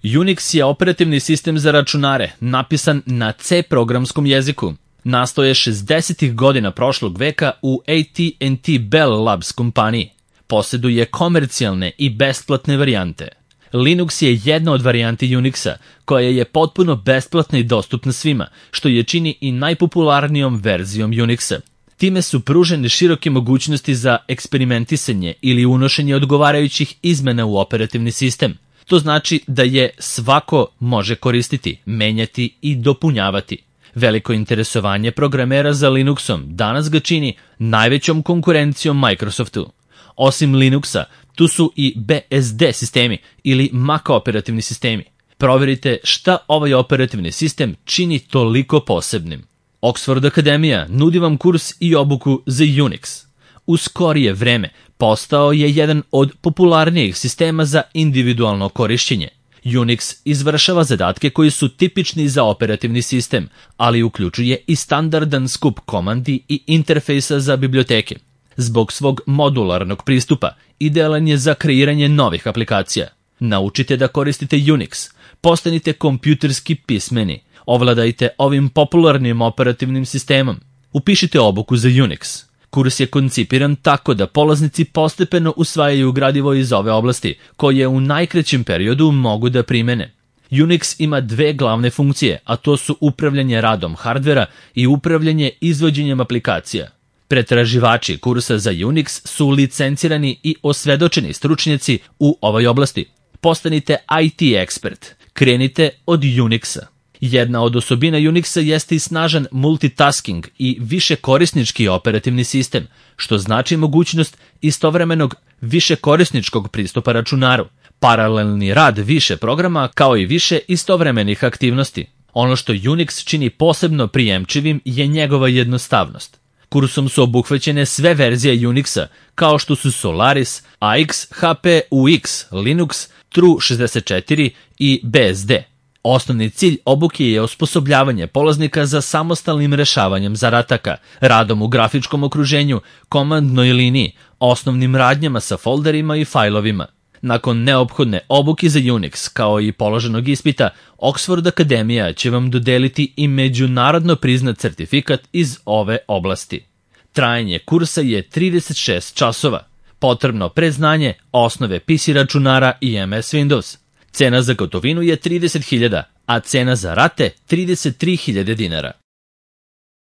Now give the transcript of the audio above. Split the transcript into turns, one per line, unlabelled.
Unix je operativni sistem za računare, napisan na C programskom jeziku. Nastao je 60. godina prošlog veka u AT&T Bell Labs kompaniji. Posjeduje komercijalne i besplatne varijante. Linux je jedna od varijanti Unixa, koja je potpuno besplatna i dostupna svima, što je čini i najpopularnijom verzijom Unixa. Time su pružene široke mogućnosti za eksperimentisanje ili unošenje odgovarajućih izmena u operativni sistem. To znači da je svako može koristiti, menjati i dopunjavati. Veliko interesovanje programera za Linuxom danas ga čini najvećom konkurencijom Microsoftu. Osim Linuxa, tu su i BSD sistemi ili Mac operativni sistemi. Proverite šta ovaj operativni sistem čini toliko posebnim. Oxford Akademija nudi vam kurs i obuku za Unix. U skorije vreme postao je jedan od popularnijih sistema za individualno korišćenje. Unix izvršava zadatke koji su tipični za operativni sistem, ali uključuje i standardan skup komandi i interfejsa za biblioteke. Zbog svog modularnog pristupa, idealan je za kreiranje novih aplikacija. Naučite da koristite Unix, postanite kompjuterski pismeni, ovladajte ovim popularnim operativnim sistemom. Upišite obuku za Unix. Kurs je koncipiran tako da polaznici postepeno usvajaju gradivo iz ove oblasti, koje u najkraćem periodu mogu da primene. Unix ima dve glavne funkcije, a to su upravljanje radom hardvera i upravljanje izvođenjem aplikacija. Pretraživači kursa za Unix su licencirani i osvedočeni stručnjaci u ovoj oblasti. Postanite IT ekspert. Krenite od Unixa. Jedna od osobina Unixa jeste i snažan multitasking i višekorisnički operativni sistem, što znači mogućnost istovremenog višekorisničkog pristupa računaru, paralelni rad više programa kao i više istovremenih aktivnosti. Ono što Unix čini posebno prijemčivim je njegova jednostavnost. Kursom su obuhvaćene sve verzije Unixa, kao što su Solaris, AX, HP, UX, Linux, Tru64 i BSD. Osnovni cilj obuke je osposobljavanje polaznika za samostalnim rešavanjem zadataka, radom u grafičkom okruženju, komandnoj liniji, osnovnim radnjama sa folderima i fajlovima. Nakon neophodne obuke za Unix, kao i položenog ispita, Oxford Akademija će vam dodeliti i međunarodno priznat certifikat iz ove oblasti. Trajanje kursa je 36 časova. Potrebno predznanje, osnove PC računara i MS Windows. Cena za gotovinu je 30.000, a cena za rate 33.000 dinara.